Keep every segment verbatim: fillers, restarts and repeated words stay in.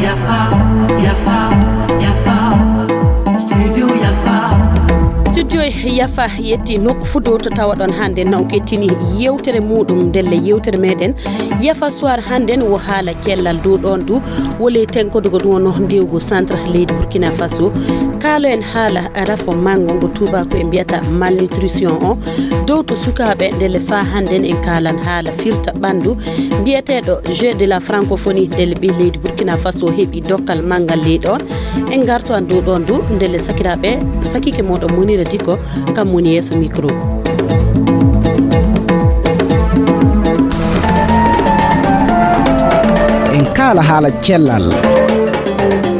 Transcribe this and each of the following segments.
Yafa, yafa, yafa. Studio yafa. Studio yafa yetti nokku fudo to tawaɗon hannde non kettini yewtere muɗum ndelle yewtere meɗen yafa soir hannden wo haala cellal dow ɗon du wole tenkodugo ɗum wonno ndewgo centre leydi Burkina Faso. Kaalo en haala rafo manngo ngo tuubako e mbiyata malnutrition o dow to sukaaɓe ndelle faa hannden en kaalan haala firta ɓanndu mbiyeteeɗo jeu de la francophonie ndelle ɓe leydi Burkina Faso heɓi dokkal manngal ley ɗon. En ngarto an dow ɗon du ndelle sakiraaɓe sakike moɗon monira diko kam woni yeeso micro. En kaala haala cellal.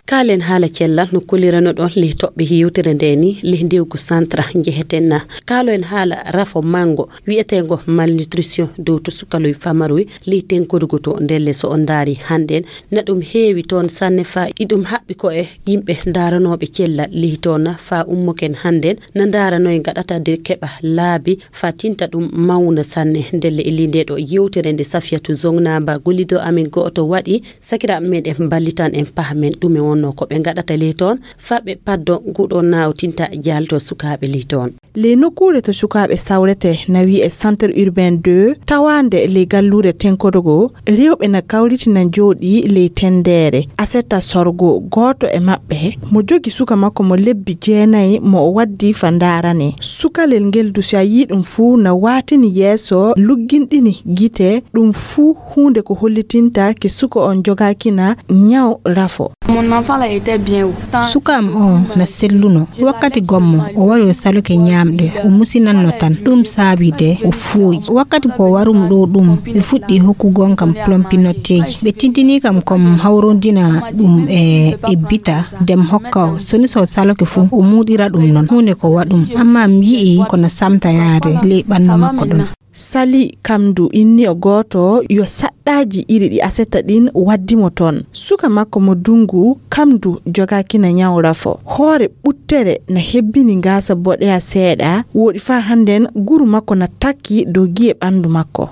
Kaalen haala cellal no kolirano ɗon leh toɓɓe yewtere nde ni leh ndewgu santra njeheten na. Kaalo en haala rafo mango wiyeteengo malnutrition dow to sukaloy famaroy leh tenkodugo to ndelle so on ndaari hannden na ɗum heewi toon sanne faa iɗum haɓɓi ko e yimɓe ndaaranooɓe cellal leh toon faa ummoken hannden na ndaaranoy ngaɗata de keɓa laabi faa tinta ɗum mawna sanne ndelle e lii nde ɗo yewtere nde safiyatu zongnaaba gollido amin go'oto waɗi sakiraaɓe meɗen ballitan en paha men ɗume wonno ko ɓe ngaɗata ley toon faa ɓe paddo nguɗo naawtinta jaalto sukaaɓe ley toon. Ley nokkuure to sukaaɓe sawrete na wi'e centre urbain deux tawaande ley galluure tenkodogo rewɓe na kawritina njooɗi ley tendeere aseta sorgo gooto e maɓɓe mo jogi suka makko mo lebbi jeenayi mo o waddi fa ndaarane sukalel ngel du si a yii ɗum fuu na waatini yeeso lugginɗini gite ɗum fuu huunde ko hollitinta ke suka on jogaakina ñaw rafo. Mon enfant là était bien haut. Suka am o na selluno wakkati gommo o wari o saluke ñaamɗe o musinanno tan ɗum saabi de o fuuyi wakkati ko warum ɗo ɗum ɓe fuɗɗi hokkugon kam plompinotteeji ɓe tintini kam kom hawrondina ɗum e e bita dem hokka o soni so saloke fuu o muɗira ɗum non huunde ko waɗum amma mi yi'i kono samta yaade ley ɓandu makko ɗum. Sali kamdu inni o gooto yo saɗɗaaji iri ɗi asetta ɗin waddi mo toon suka makko mo dungu kamdu jogaakina ñaw rafo hoore ɓuttere na hebbini ngaasa boɗeya seeɗa wooɗi faa hannden guru makko na takki dow gi'e ɓandu makko.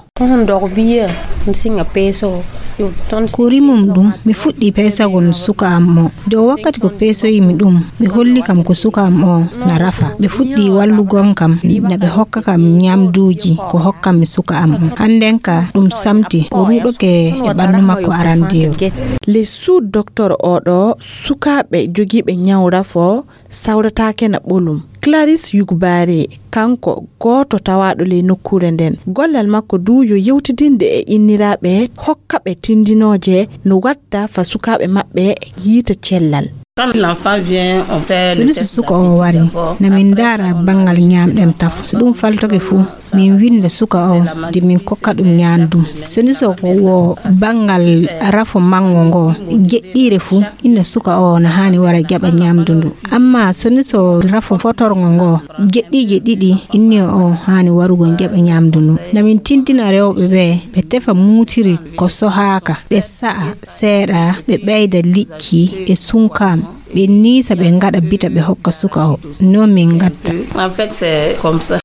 Ko rimum ɗum mi fuɗɗi peesagol suka am o de o wakkati ko peesoyimi ɗum ɓe holli kam ko suka am o na rafa ɓe fuɗɗi wallugol kam na ɓe hokka kam ñamduuji ko hokkammi suka am o hannden ka ɗum samti o ruuɗoke e ɓanndu makko arandeeru. Les sous docteur oɗo sukaaɓe jogiiɓe ñaw rafo sawrataake na ɓolum. Claris Yugbaare kanko gooto tawaaɗo ley nokkuure nden gollal makko du yo yewtidinde e inniraaɓe hokka ɓe tindinooje no watta fa sukaaɓe maɓɓe yiita cellal. Toni so suka o wari na min ndaara banngal ñaamɗem tafo so ɗum faltoke fuu min winnda suka o de min kokka ɗum ñaandum soni so ko wo banngal rafo manngo ngo jeɗɗiire fuu inna suka o na haani wara jaɓa ñaamdu ndu amma soni so rafo fotorngo ngo jeɗɗiije ɗiɗi inni o haani warugol jaɓa ñaamdu ndu na min tintina rewɓe ɓe ɓe tefa muutiri ko sohaaka ɓe sa'a seeɗa ɓe ɓeyda liƴƴi e sunkam ɓe niisa ɓe ngaɗa bita ɓe hokka suka o no min ngatta.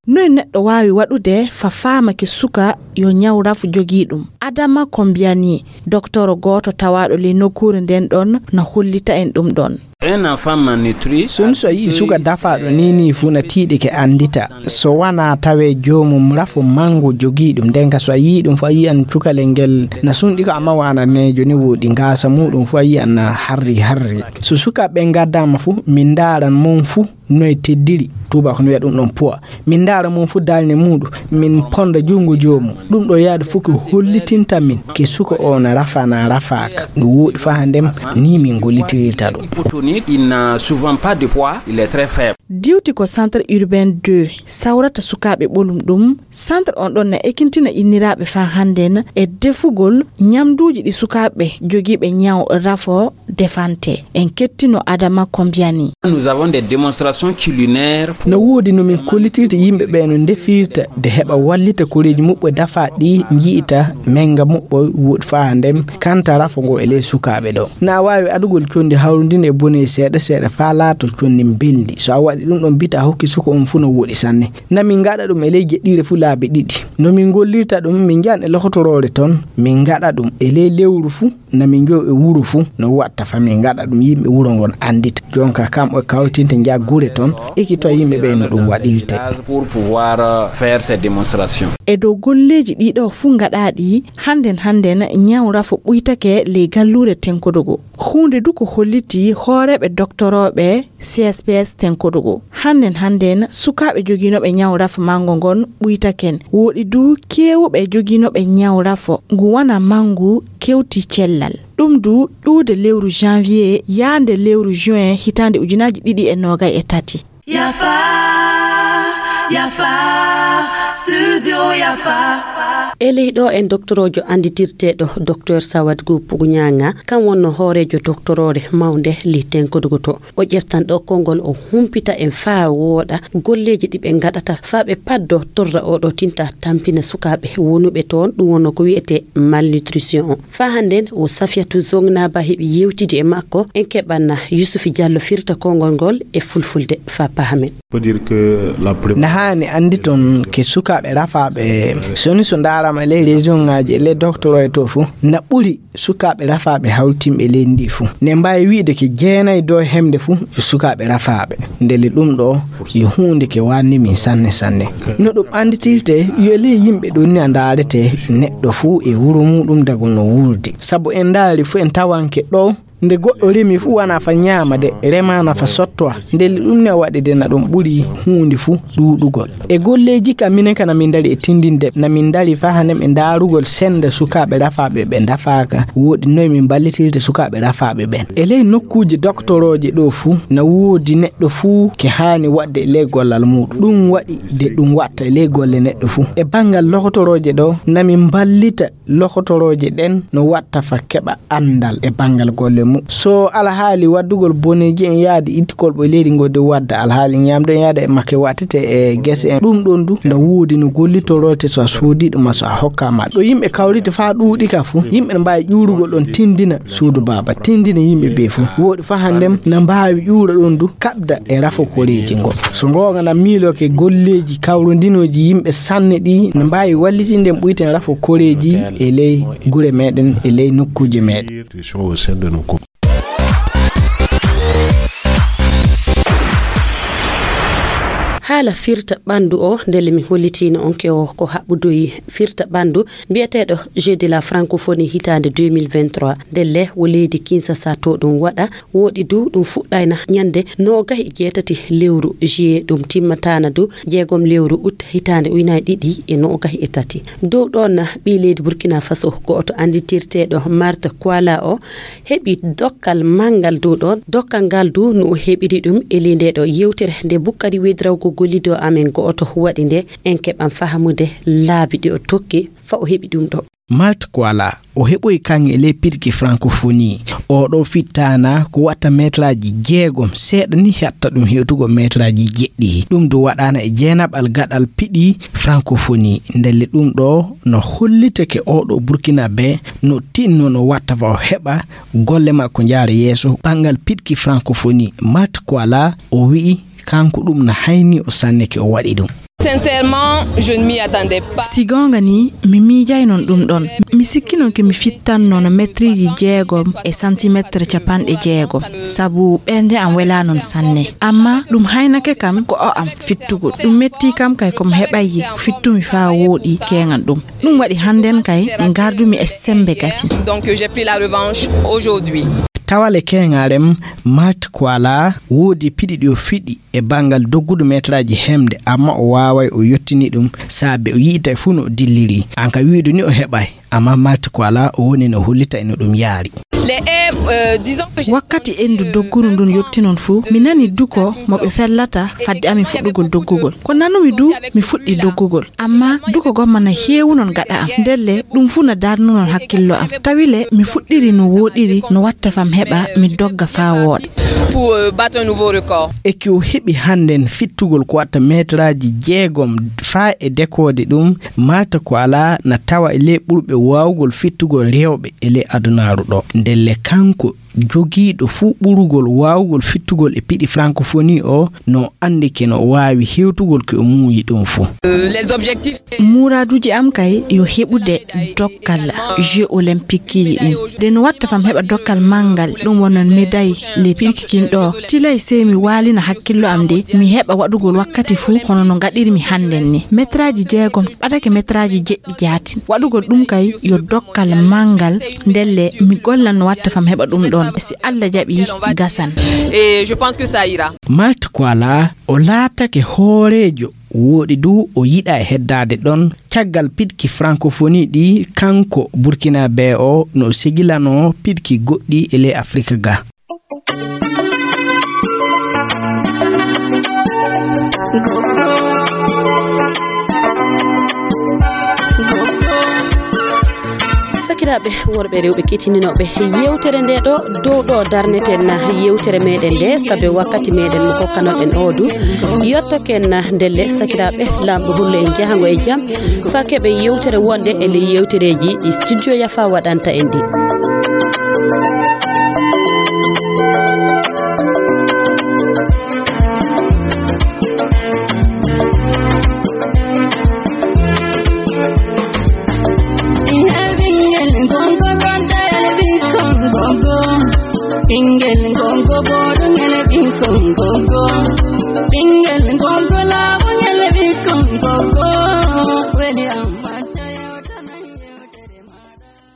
Noy neɗɗo waawi waɗude fa faamake suka yo ñaw rafo jogii ɗum adama ko mbiyani doktoro gooto tawaaɗo ley nokkuure nden ɗon na hollita en ɗum ɗon. Soni so a yii suka dafaaɗo ni ni fuu na tiiɗike anndita so wanaa tawee joomum rafo manngu jogii ɗum nden ka so a yii ɗum fuu a yiyan cukalel ngel na sunɗi ko amma waana neejo ni woodi ngaasa muuɗum fuu a yiyan na harri harri so sukaaɓe ɓen ngaddaama fuu min ndaaran mon fuu noy teddiri tuuba ko no wiya ɗum ɗon puwa min ndaara mon fuu dalne muuɗum min ponda junngo joomum ɗum ɗo yaade fof ko hollitinta min ke suka o na rafa na rafaaka no wooɗi faa ndem ni min gollitirirta ɗum. Hypotonique, il n'a souvent pas de poids, il est très faible. Diwti ko centre urbain deux sawrata sukaaɓe ɓolum ɗum centre on ɗon na ekintina inniraaɓe faa hannden e defugol ñamduuji ɗi sukaaɓe jogiiɓe ñaw rafo defante en kettino adama ko mbiyani. Nous avons des démonstrations culinaires. No woodi no min kollitirta yimɓe ɓe no ndefirta de heɓa wallita koreeji muɓɓe dafa ɗi nji'ita menga muɓɓo woɗi faa ndem kanta rafo ngo e ley sukaaɓe ɗo na waawi adugol condi hawrundin e bone seeɗa seeɗa faa laato condi mbelndi so a waɗi Ɗum ɗon bita hokki suka on fuu no woɗi sanne. Na min ngaɗa ɗum e ley jeɗɗiire fuu laabi ɗiɗi. No min ngollirta ɗum, min njahan e lokotoroore ton, min ngaɗa ɗum e ley lewru fuu, na min njow e wuro fuu, no watta fa min ngaɗa ɗum yimɓe wuro ngon anndita. Jonka kam o kawtinte njaha gure ton, ekitoya yimɓe ɓe no ɗum waɗirte. Pour pouvoir, euh, faire ces démonstrations. E dow golleeji ɗiɗo fuu ngaɗaaɗi, hannden hannden ñaw rafo ɓuytake ley galluure Tenkodogo. Huunde du ko holliti hooreeɓe doktorooɓe C S P S Tenkodogo. Hannden hannden sukaaɓe jogiinooɓe ñaw rafo manngo ngon ɓuytaken. Wooɗi du keewuɓe jogiinooɓe ñaw rafo ngu wana manngu kewti cellal. Ɗum du ƴuude lewru janvier yaande lewru juin hitaande ujunaaji ɗiɗi e noogay e tati. Yafa, yafa, studio yafa. E ley ɗo en doktoroojo annditirteeɗo Docteur Sawad Gu Puguñaŋa, kam wonno hooreejo doktoroore mawnde li Tenkodogo to. O ƴeftan ɗo konngol, o humpita en faa wooɗa golleeji ɗi ɓe ngaɗata faa ɓe paddo torra oɗo tinta tampina sukaaɓe wonuɓe toon, ɗum wonno ko wiyetee malnutrition on. Faa hannden o Safiyatu Zongnaba heɓi yewtidi e makko, en keɓanna Yusufi Jallo firta konngol ngol e fulfulde faa pahamen. Faut dire que la première... Na haani annditon ke sukaaɓe rafaaɓe, soni so ndaarama e ley région ŋaaji e ley docteur e to fuu, na ɓuri sukaaɓe rafaaɓe hawtimɓe leydi ndi fuu. Ne mbaawi wi'ude ke jeenay dow hemde fuu yo sukaaɓe rafaaɓe. Ndelle ɗum ɗo yo huunde ke waanni min sanne sanne. No ɗum annditirte, yo ley yimɓe ɗon ni a ndaarete neɗɗo fuu e wuro muuɗum dago no wuurdi. Sabu en ndaari fuu en tawanke ɗo, nde goɗɗo remi fuu wana fa ñaama de, remaana fa sottowa. Ndelle ɗum ne waɗi de na ɗum ɓuri huunde fuu ɗuuɗugol. E golleeji ka minen ka na min ndari e tindinde, na min ndari faa hande e ndaarugol sennde sukaaɓe rafaaɓe ɓe ndafaaka. Wooɗi noy min mballitirta sukaaɓe rafaaɓe ɓen. E ley nokkuuje doktorooje ɗo fuu, na woodi neɗɗo fuu ke haani waɗde e ley gollal muuɗum. Ɗum waɗi de ɗum watta e ley golle neɗɗo fuu. E banngal lokotorooje ɗo, na min mballita lokotorooje ɗen no watta fa keɓa anndal e banngal golle mum. So alhaali waddugol boneeji en yaade itti kolɓo e leydi ngo de wadda alhaali ñaamdu en yaada e makke wattete e gese en. Ɗum ɗon du na woodi no gollitorote so a soodi ɗum ma so a hokkaama. Ɗo yimɓe kawriti faa ɗuuɗi ka fuu, yimɓe no mbaawi ƴuurugol ɗon tindina suudu baaba, tindina yimɓe ɓe fuu. Wooɗi faa hannden na mbaawi ƴuura ɗon du kaɓda e rafo koreeji ngo. So ngoonga na miiloke golleeji kawrondinooji yimɓe sanne ɗi no mbaawi wallitinde en ɓuyten rafo koreeji e ley gure meɗen, e ley nokkuuje meɗen. Haala firta ɓanndu o, ndelle mi hollitiino on ke o ko haɓɓudoyi firta ɓanndu mbiyeteeɗo Jeux de la Francophonie hitaande deux mille vingt-trois. Ndelle wo leydi Kinshasa to ɗum waɗa, wooɗi du ɗum fuɗɗayna ñande noogahi e jeetati lewru juillet, ɗum timmataana du jeegom lewru août hitaande ujunaaji ɗiɗi e noogahi e tati. Dow ɗoon na ɓii leydi Burkina Faso go'oto annditirteeɗo Marthe Koala o heɓi dokkal manngal dow ɗoon. Dokkal ngal du no o heɓiri ɗum e ley nde ɗo yewtere nde Bukkari Wedrawgo gollido amen go'oto waɗi nde, en keɓan fahamude laabi ɗi o tokki fa o heɓi ɗum ɗo. Marthe Koala, o heɓoyi kaŋŋe e ley piɗki Francophonie. Oo ɗoo fittaana ko watta meetaraaji jeegom, seeɗa ni hatta ɗum hewtugol meetaraaji jeɗɗi. Ɗum du waɗaana e jeenaɓal gaɗal piɗi Francophonie. Ndelle ɗum ɗoo no hollitake oo ɗoo Burkinabee no tinno no watta fa o heɓa golle makko njaara yeeso banngal piɗki Francophonie. Marthe Koala o wi'i kanko ɗum na hayni o sanne ke o waɗi ɗum. Sincèrement, je ne m'y attendais pas. Si goonga ni, mi miijay non ɗum ɗon. Mi sikki non ke mi fittan non metriiji jeegom e santimetre capanɗe jeegom, sabu ɓernde am welaa non sanne. Amma ɗum haynake kam ko o am fittugol. Ɗum metti kam kay ko mi heɓay fittumi faa wooɗi keeŋan ɗum. Ɗum waɗi hannden kay ngardumi e sembe gasi. Donc, j'ai pris la revanche aujourd'hui. Tawale keeŋarem, Marthe Koala woodi piɗi ɗi o fiɗi e banngal doggudu meetaraaji hemde, amma o waaway o yottini ɗum saabe o yi'itay fuu no o dilliri. An ka wi'udu ni o heɓay, amma Marthe Koala o woni no hollita e no ɗum yaari. Les, euh, disons que j'ai... Wakkati endu dogguru ndun yotti non fuu, mi nani duko mo ɓe fellata fadde amin fuɗɗugol doggugol. Ko nanumi du, mi fuɗɗi doggugol. Amma duko gomma na heewu non gaɗa am. Ndelle ɗum fuu na darnu non hakkillo am. Tawi le mi fuɗɗiri no wooɗiri no watta fam heɓa mi dogga faa wooɗa. Pour, euh, battre un nouveau record. E ki o heɓi hannden fittugol ko watta meetaraaji jeegom faa e dekoode ɗum, Marthe Koala na tawa e ley ɓurɓe waawugol fittugol rewɓe e ley adunaaru ɗo. Ndelle kanko Jogiiɗo fuu ɓurugol waawugol fittugol e piɗi francophonie o, no anndi ke no waawi hewtugol ko o muuyi ɗum fuu. Muuraaduuji am kay yo heɓude dokkal jeux olympique ji ɗin. Nde no watta fam heɓa dokkal manngal, ɗum wonan médaille les piɗki kin ɗo. Tilay sey mi waalina hakkillo am nde mi heɓa waɗugol wakkati fuu hono no ngaɗirmi hannden ni. Metraaji jeegom ɓadake metraaji jeɗɗi jaatin. Waɗugol ɗum kay yo dokkal manngal, ndelle mi gollan no watta fam heɓa ɗum ɗon. Si Allah jaɓi, gasan. Et je pense que ça ira. Malte Koala, o laatake hooreejo, wooɗi du o yiɗa e heddaade ɗon caggal piɗki francophonie ɗi kanko Burkinabé o no segilanoo piɗki goɗɗi e ley Afrika ga. Sakiraaɓe worɓe, rewɓe, keɗitinooɓe yeewtere nde ɗo, dow ɗo darneten yeewtere meɗen nde, sabe wakkati meɗen mo kokkanoɗen o du yottoken. Ndelle, sakiraaɓe, Laamɗo hullo en jahango e jam, faa keɓen yeewtere wonde e ley yeewtereeji ɗi Studio Yafa waɗanta en ɗi. Ɓingel gongo boɗo ngel ɓikkon gongo.